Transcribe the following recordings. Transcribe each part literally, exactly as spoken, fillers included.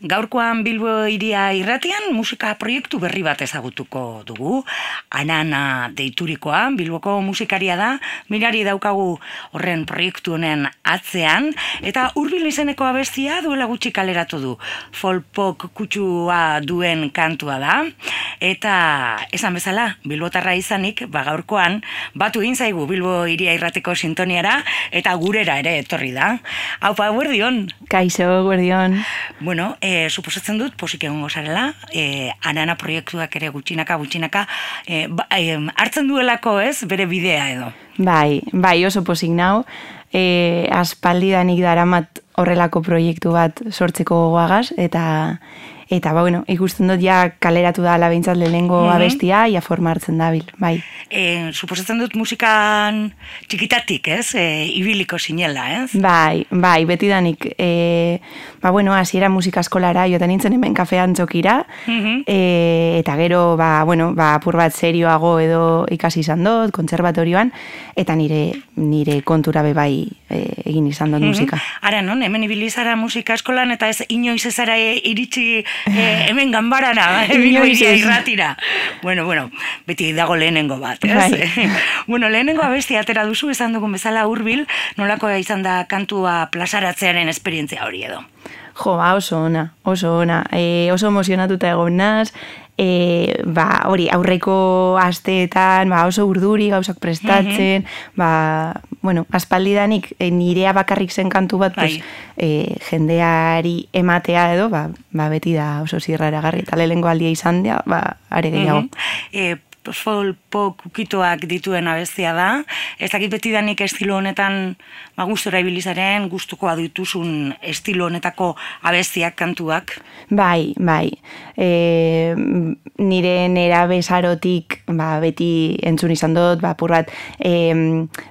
Gaurkoan Bilbo Hiria irratian musika proiektu berri bat ezagutuko dugu. Anana deiturikoa, Bilboko musikaria da, mirari daukagu horren proiektu honen atzean, eta Hurbil izeneko abestia duela gutxi kaleratu du. Folpok kutsua duen kantua da, eta esan bezala, bilbotarra izanik, ba gaurkoan, batu egin zaigu Bilbo Hiria irrateko sintoniara, eta gurera ere etorri da. Aupa, guardion! Kaixo, guardion! Bueno, E, suposatzen dut, posik egongo zarela, e, Anana proiektuak ere gutxinaka, gutxinaka, e, ba, e, hartzen duelako ez, bere bidea edo. Bai, bai, oso posik nau, e, aspaldidanik daramat horrelako proiektu bat sortzeko gogoagaz, eta, eta ba, bueno, ikusten dut ja kaleratu da labeintzat lehenengo mm-hmm. abestia, ja forma hartzen dabil, bai. E, suposatzen dut musikan txikitatik, ez? E, ibiliko sinela, ez? Bai, bai, betidanik, e, ba, bueno, hasiera musika eskolara, joaten nintzen hemen kafean txokira, mm-hmm. e, eta gero, ba, bueno, ba, apur bat serioago edo ikasi izan dut, kontserbatorioan, eta nire, nire kontura be bai e, egin izan dut mm-hmm. musika. Ara, non, hemen ibilizara musika eskolan, eta ez inoiz ezara iritsi e, hemen ganbarana, Bilbo Hiria irratira. Bueno, bueno, beti dago lehenengo bat. Bai. Bueno, lehenengo abestia atera duzu, esan dugun bezala Hurbil, nolako izan da kantua plazaratzearen esperientzia hori edo? Jo, ba, oso ona, oso ona, e, oso emozionatuta egon naz, e, ba, hori, aurreko asteetan, ba, oso urduri gauzak prestatzen, mm-hmm. ba, bueno, aspaldidanik e, nirea bakarrik zen kantu bat, pues, e, jendeari ematea edo, ba, ba, beti da oso zirraragarri, eta lehengo aldia izan da, ba, are gehiago. Mm-hmm. e, Folpok ukituak dituen abestia da. Ez dakit betidanik estilo honetan ba, gustora ibilizaren, gustukoa dituzun estilo honetako abestiak, kantuak? Bai, bai. E, nire nera besarotik ba, beti entzun izan dut, ba, pur bat e,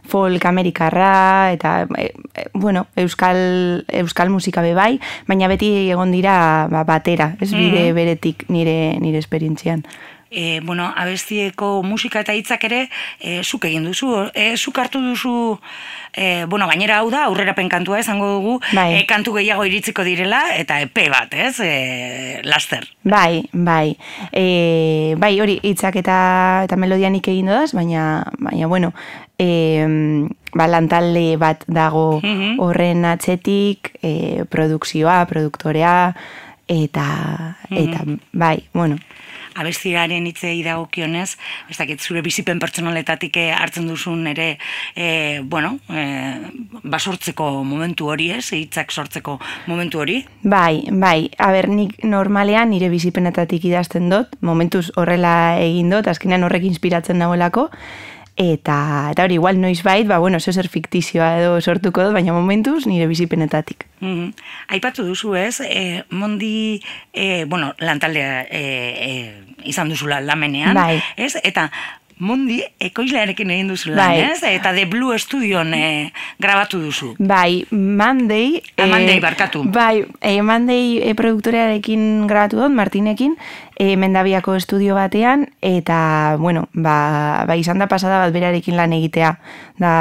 folk amerikarra, eta e, bueno, euskal, euskal musika be bai, baina beti egon dira ba, batera, ez bide mm-hmm. beretik nire, nire esperientzian. E, bueno, abestieko musika eta hitzak ere e, zuk egin duzu, e, zuk hartu duzu, e, bueno, gainera hau da, aurrerapen kantua esango dugu, bai. e, kantu gehiago iritziko direla, eta epe bat, ez, e, laster. Bai, bai, e, bai, hori hitzak eta, eta melodianik egin dodaz, baina, baina, bueno, e, ba, lantalde bat dago mm-hmm. horren atzetik, e, produkzioa, produktorea, eta, mm-hmm. eta, bai, bueno, abestiaren hitzei dagokionez, ez dakit zure bizipen pertsonaletatik hartzen duzun ere, e, bueno, e, basortzeko momentu hori ez, hitzak sortzeko momentu hori? Bai, bai, aber nik normalean nire bizipenetatik idazten dut, momentuz horrela egin dut, azkenean horrek inspiratzen dagoelako, Eta, eta hori, igual noiz bait, ba, bueno, zer fiktizioa edo sortuko dut, baina momentuz nire bizipenetatik. Mm-hmm. Aipatu duzu ez, e, Mondi, e, bueno, lantaldea e, e, izan duzula lamenean, bai. Ez? Eta Mondi ekoizlearekin egin duzu lan, bai. Ez? Eta The Blue Studion e, grabatu duzu. Bai, Monday... A e, Monday, barkatu. Bai, e, Monday e, produktorearekin grabatu dut, Martinekin, e, Mendabiako estudio batean, eta, bueno, ba, ba izan da pasada bat berarekin lan egitea. Da...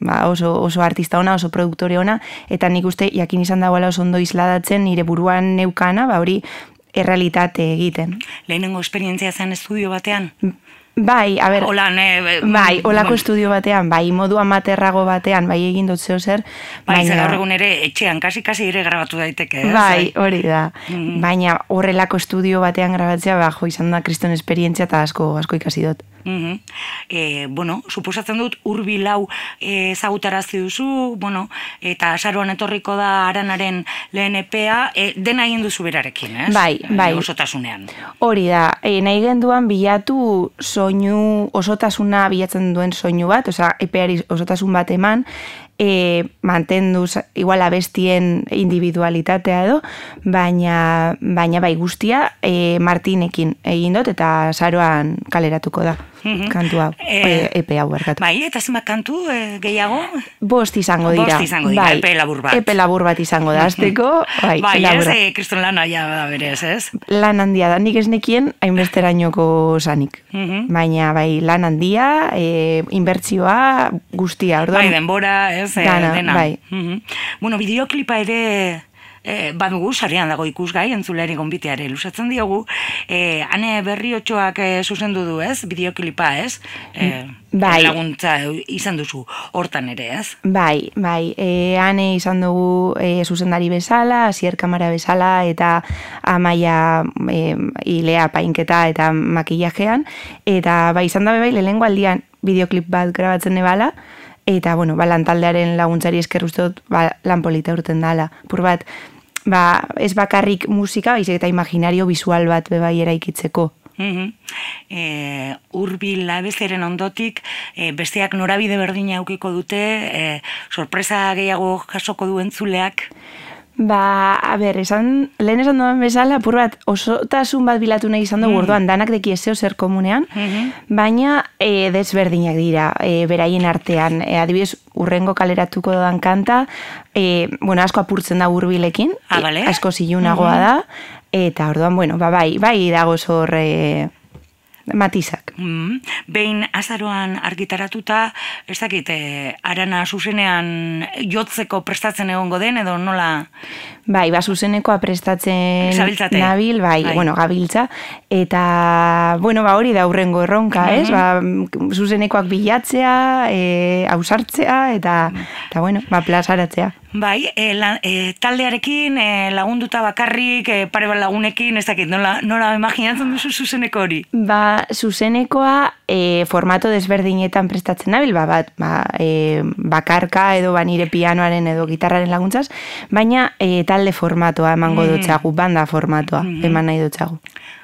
Ba, oso, oso artista ona, oso produktore ona, eta nik uste jakin izan dagoela oso ondo isladatzen nire buruan neukana, ba hori errealitate egiten. Lehenengo esperientzia zen estudio batean? Bai, a ber, Hola, ne, bai, olako bueno. Estudio batean, bai, modu amaterrago batean, bai egin dut zeo zer. Bai, baina... zer egun ere, etxean, kasi-kasi ere grabatu daiteke. Ez? Bai, hori da. Mm-hmm. Baina horrelako estudio batean grabatzea, ba, jo, izan da kriston esperientzia eta asko, asko ikasi dut. Mm-hmm. E, bueno, suposatzen dut, Hurbil hau ezagutarazi duzu, bueno, eta azaroan etorriko da Aranaren lehen epea, e, dena egin duzu berarekin, ez? Bai, bai. E, osotasunean. Hori da, e, nahi genduan bilatu soinu, osotasuna bilatzen duen soinu bat, osea, epeari osotasun bat eman, e, mantenduz, igual abestien individualitatea edo, baina, baina bai guztia e, Martinekin egin dut eta azaroan kaleratuko da. Mm-hmm. Kantu hau, e, epe hau berkatu. Bai, eta zenbat kantu e, gehiago? Bost izango dira. Bost izango dira, bai, epe labur bat. Epe labur bat izango da, azteko. Bai, bai ez, e, kriston lana ja da berez, ez? Lan handia da, nik ez nekien hainbesterainoko sanik. Mm-hmm. Baina, bai, lan handia, e, inbertsioa guztia. Orduan, bai, denbora, ez, e, dana, dena. Bai. Mm-hmm. Bueno, bideoklipa ere e, badugu, sarean dago ikusgai, entzuleari gonbiteare lusatzen diogu, e, Ane Berriotxoak e, zuzendu du, ez? Bideoklipa, ez? E, bai. Laguntza izan duzu hortan ere, ez? Bai, bai. E, Ane izan dugu e, zuzendari bezala, Asier Kamara bezala, eta Amaia e, ilea painketa eta makillajean, eta bai, izan dabe bai, lehenengo aldian bideoklip bat grabatzen nebala, eta, bueno, ba, lantaldearen laguntzari esker uste dut, ba, lan polita urten dala. Pur bat, ba, ez bakarrik musika, baizik eta imaginario visual bat bebai eraikitzeko. Mm-hmm. E, Urbil abestiaren ondotik, e, besteak norabide berdina aukiko dute, e, sorpresa gehiago jasoko du entzuleak? Ba, a ber, esan, lehen esan duen bezala, apur bat, osotasun bat bilatu nahi izan dugu, mm. orduan, danak deki ezeo zer komunean, mm-hmm. baina e, desberdinak dira, e, beraien artean, e, adibidez, urrengo kaleratuko dodan kanta, e, bueno, asko apurtzen da Urbilekin, ah, vale. e, asko zilunagoa mm-hmm. da, eta orduan, bueno, ba, bai, bai dago zor e, matizak. Mm, behin azaroan argitaratuta, ez dakit, e, Arana zuzenean jotzeko prestatzen egongo den, edo nola? Bai, ba, zuzenekoa prestatzen Zabiltzate. nabil, bai, bai, bueno, gabiltza, eta, bueno, ba, hori da hurrengo erronka, mm-hmm. ez? Ba, zuzenekoak bilatzea, e, ausartzea, eta, eta, bueno, ba, plazaratzea. Bai, e, la, e, taldearekin e, lagunduta bakarrik, e, pare bat lagunekin, ez dakit, nola, nola imaginatzen duzu zuzeneko hori? Ba, zuzenekoa e, formato desberdinetan prestatzen nabil, ba, bat, ba, e, bakarka edo ba, nire pianoaren edo gitarraren laguntzaz, baina e, talde formatoa emango mm. dutxagu, banda formatoa mm. eman nahi dutxagu.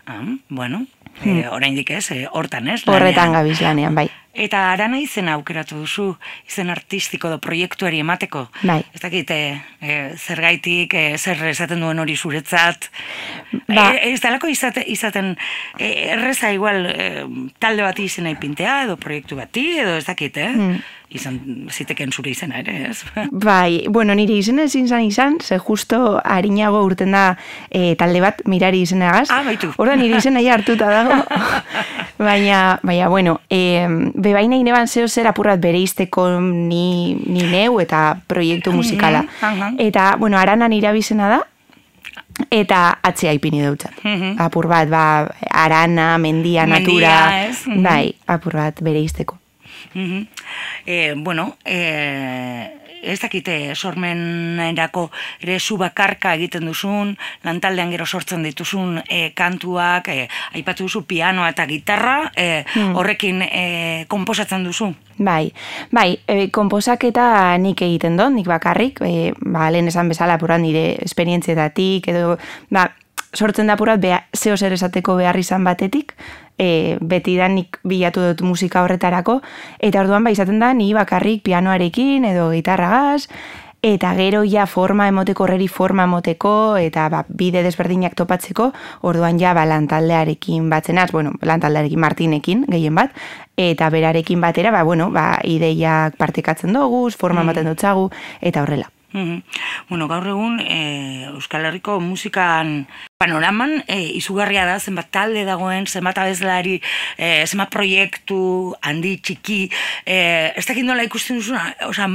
Ah, bueno, mm. e, oraindik ez, e, hortan ez? Horretan gabiz lanean, bai. Eta Arana izena aukeratu duzu, izen artistiko do proiektuari emateko. Bai. Ez dakit, e, zergaitik, e, zer esaten duen hori zuretzat. Ba. E, ez dalako izate, izaten e, erreza igual e, talde bati izena ipintea, edo proiektu bati, edo ez dakit, eh? Hmm. Izan ziteken zure izena ere, ez? Bai, bueno, nire izena ezin zan izan, ze justo harinago urten da e, talde bat mirari izenagaz. Ah, baitu. Horda nire izena ja hartuta dago. baina, baina, bueno, e, bebaina ineban zeo zer apurrat bereizteko ni, ni neu eta proiektu musikala. Mm-hmm. Eta, bueno, Arana nire abizena da, eta atzea ipini deutzat. Mm-hmm. Apur bat, ba, Arana, mendia, natura, mendia, ez? Mm-hmm. Bai, apur bat bereizteko. Mm-hmm. eh, bueno, eh, ez dakite sormenerako ere zu bakarka egiten duzun, lantaldean gero sortzen dituzun e, kantuak, e, aipatu duzu pianoa eta gitarra, e, hmm. horrekin e, konposatzen duzu? Bai, bai, e, konposaketa nik egiten dut, nik bakarrik, e, ba, lehen esan bezala apurat nire esperientzietatik, edo, ba, sortzen da apurat zeo zer esateko behar izan batetik, e, beti da nik bilatu dut musika horretarako, eta orduan ba izaten da ni bakarrik pianoarekin edo gitarragaz, eta gero ja forma emoteko, horreri forma emoteko, eta ba, bide desberdinak topatzeko, orduan ja ba, lantaldearekin batzenaz, bueno, lantaldearekin Martinekin, gehien bat, eta berarekin batera, ba, bueno, ba, ideiak partekatzen dugu, forma ematen dutzagu, eta horrela. Mm-hmm. Bueno, gaur egun e, Euskal Herriko musikan panoraman e, izugarria da, zenbat talde dagoen, zenbat abeslari, e, zenbat proiektu, handi, txiki, e, ez dakit nola ikusten duzuna, oza,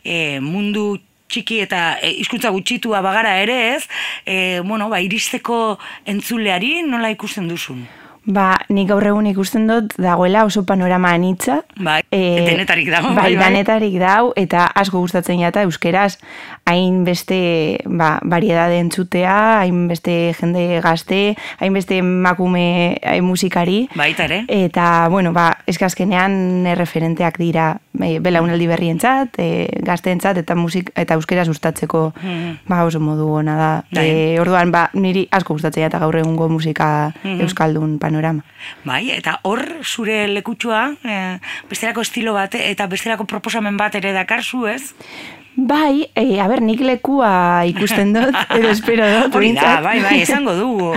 e, mundu txiki eta e, hizkuntza gutxitua bagara ere ez, e, bueno, ba, iristeko entzuleari nola ikusten duzun? Ba, nik gaur egun ikusten dut dagoela oso panorama anitza. Bai, e, denetarik dago. Bai, bai, denetarik dago, eta asko gustatzen jata euskeraz, hainbeste ba, variedade entzutea, hainbeste jende gazte, hainbeste makume hain musikari. Baita ere. Eta, bueno, ba, eskazkenean referenteak dira e, belaunaldi berrientzat, e, gazteentzat, eta musik eta euskera sustatzeko mm-hmm. ba, oso modu ona da. E, orduan, ba, niri asko gustatzen jata gaur egungo musika mm-hmm. euskaldun panorama. Bai, eta hor zure lekutxua, e, bestelako estilo bat eta bestelako proposamen bat ere dakarzu, ez? Bai, e, a ber, nik lekua ikusten dut, edo espero dut. Hori da, bai, bai, esango dugu.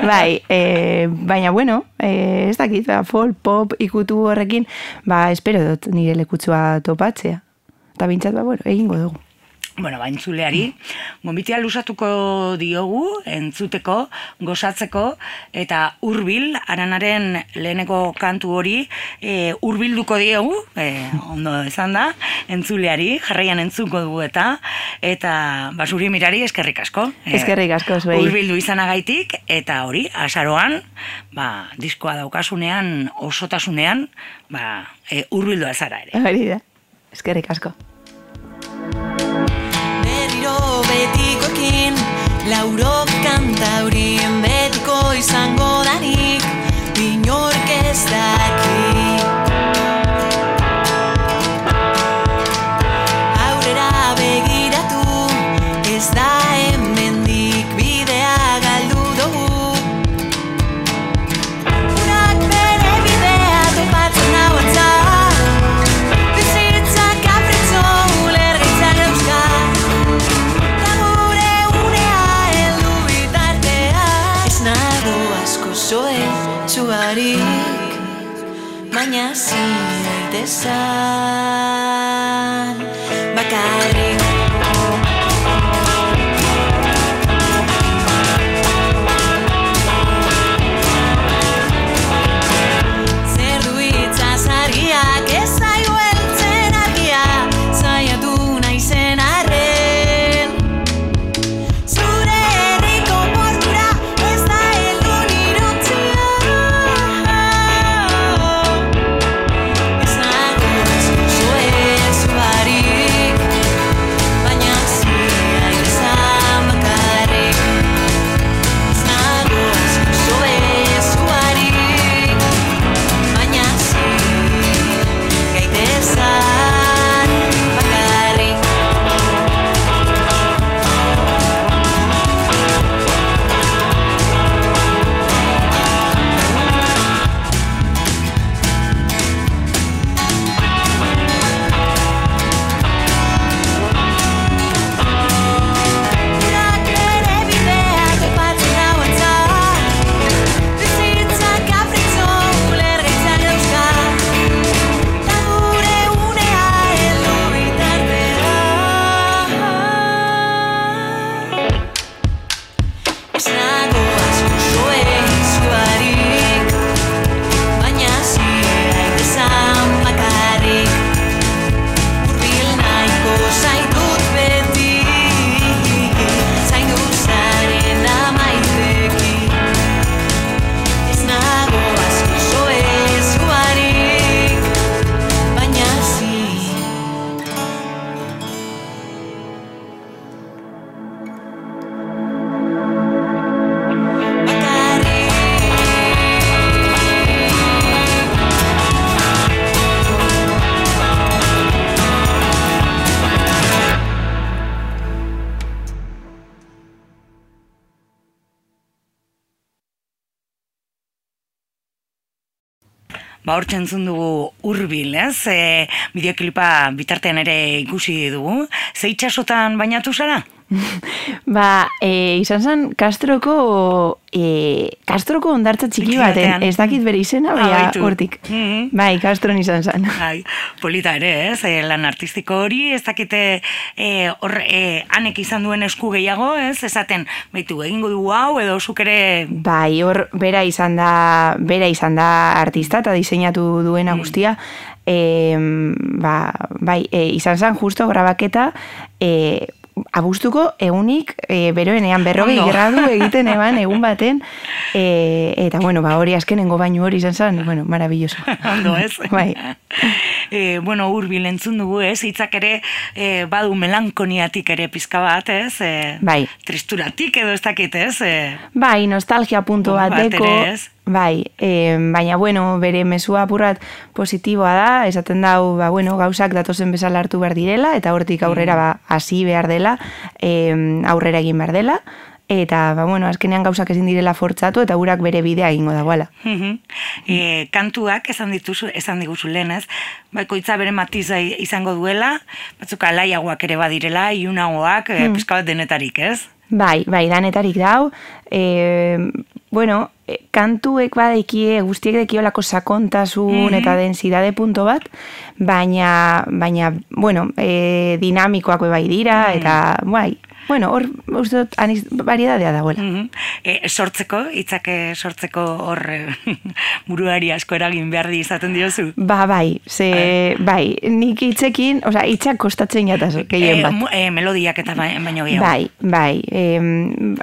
Bai, e, baina bueno, e, ez dakit, ba, folk, pop, ikutu horrekin, ba, espero dut nire lekutxua topatzea. Eta bintzat, ba, bueno, egingo dugu. bueno, baintzuleari, gonbitea lusatuko diogu, entzuteko, gozatzeko, eta hurbil, Aranaren leheneko kantu hori, e, hurbilduko diogu, e, ondo esan da, entzuleari, jarraian entzuko dugu eta, eta basuri mirari eskerrik asko. Eskerrik asko, zuei. Hurbildu izanagaitik, eta hori, azaroan, ba, diskoa daukasunean, osotasunean, ba, e, hurbildu azara ere. Hori da, eskerrik asko. Betikoekin, lauro kantaurien betiko izango danik, inork ez daki. Aurrera begiratu, ez da hemendik bidea galdu dugu. Urak bere bidea topatzen hau altza, bizitzak kapritzo ulergaitzak dauzka. Zoe zuarik, baina zinaitezan bakarrik. Zer du itzaz argiak ez zaio heltzen argia, zaiatu naizen arren. Zure herriko portura ez da heldu nirontzia. Ez nago asko zoe zuarik, baina ziaitezan bakarrik. Ez nago asko zoe zuarik, baina ziaitezan bakarrik. Urak bere bidea topatzen hau altza, bizitzak kapritzo ulergaitzak dauzka. Ta gure unea heldu bitartean. Ez nago asko zoe zuarik, baina ziaitezan bakarrik. Hurbil nahiko zaitut beti, zaindu zaren amaiteki. Ez nago asko zoe zuarik, baina zi. Ba, hortzen entzun dugu hurbil, ez? E, bideoklipa bitartean ere ikusi dugu. Ze itxasotan bainatu zara? Ba, e, izan zen Castroko e, Castroko ondartza txiki Txiki baten, batean. ez dakit bere izena, Ah, baina baitu. hortik. Mhm. Bai, Castron izan zen. Ai, polita ere, ez? E, lan artistiko hori, ez dakite e, hor, e, anek izan duen esku gehiago, ez? Esaten, baitu, egingo dugu hau, edo zuk ere... Bai, hor bera izan da, bera izan da artista eta diseinatu duena guztia. E, ba, bai, e, izan zen justo grabaketa e, abuztuko egunik e, beroenean berrogei Ondo. gradu egiten eban egun baten e, eta bueno, ba, hori azkenengo bainu hori izan zen, bueno, maravilloso. Ondo, ez? Bai. E, bueno, hurbil entzun dugu, ez? Hitzak ere e, badu melankoniatik ere pizka bat, ez? E, Bai. Tristuratik edo ez dakit, ez? E, Bai, nostalgia punto Bat bateko. ere ez. Bai, e, baina bueno, bere mezua apurrat positiboa da, esaten dau, ba, bueno, gauzak datozen bezala hartu behar direla, eta hortik aurrera ba, hasi behar dela, e, aurrera egin behar dela, eta, ba, bueno, azkenean gauzak ezin direla fortzatu, eta gurak bere bidea egingo dagoela. Mhm. E, kantuak esan dituzu, esan diguzu lehen, ez? Bakoitza bere matiza izango duela, batzuk alaiagoak ere badirela, iunagoak, e, pizka bat denetarik, ez? Bai, bai, danetarik dau, e, bueno, e, kantuek badekie, guztiek dekiolako sakontasun eta densidade punto bat, baina, baina bueno, e, dinamikoak bai dira, eta bai, bueno, hor, uste dut, aniz, variedadea dagoela. Mm-hmm. E, sortzeko, hitzak sortzeko hor buruari asko eragin behar di izaten diozu? Ba, bai, ze, bai, nik hitzekin, osea, hitzak kostatzen jataz, gehien bat. E, e, melodiak eta baino gehiago. Bai, bai, e,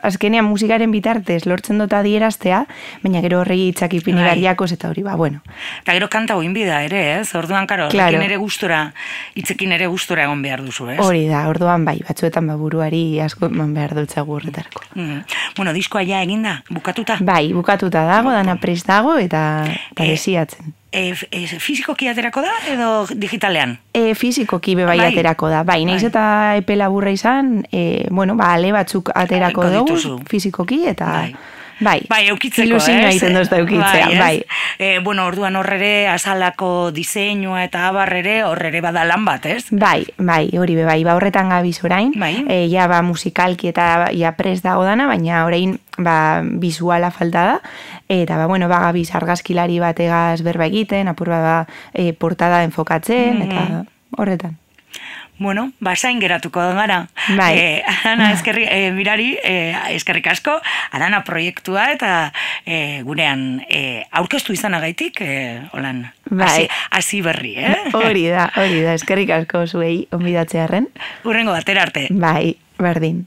azkenean musikaren bitartez lortzen dut adieraztea, baina gero horregi hitzak ipini bai. barriakos eta hori, ba, bueno. Eta gero kanta oinbida ere, ez? Orduan, karo, claro. ere gustora, hitzekin ere gustora egon behar duzu, ez? Hori da, orduan bai, batzuetan ba, buruari asko eman behar dutzagu horretarako. Mm. Bueno, diskoa ja eginda, bukatuta? Bai, bukatuta dago, dana prest dago, eta, eta E, desiatzen. E, e, fizikoki aterako da, edo digitalean? E, fizikoki bebai Bai. aterako da. Bai, naiz Bai. eta epe laburra izan, e, bueno, ba, ale batzuk aterako Ko dugu, dituzu. fizikoki, eta... Bai. Bai, Bai, eukitzeko, ilusioa ez? egiten dozta eukitzea, ez? bai. E, bueno, orduan horrere, azalako diseinua eta abarrere, horrere bada lan bat, ez? Bai, bai, hori be bai, ba horretan gabiz orain, Bai. e, ja ba musikalki eta ja prest dago dana, baina orain ba visuala falta da, eta ba bueno, ba gabiz argazkilari bategaz berba egiten, apur ba e, portada enfokatzen, Mhm. eta horretan. Bueno, basain geratuko gara. Bai. Eh, Arana, eskerri, eh, mirari, eh, eskerrik asko, Arana proiektua eta eh, gurean eh, aurkeztu izanagaitik, eh, holan, Bai. hasi, hasi berri, eh? Hori da, hori da, eskerrik asko zuei onbidatzearren. Hurrengo batera arte. Bai, berdin.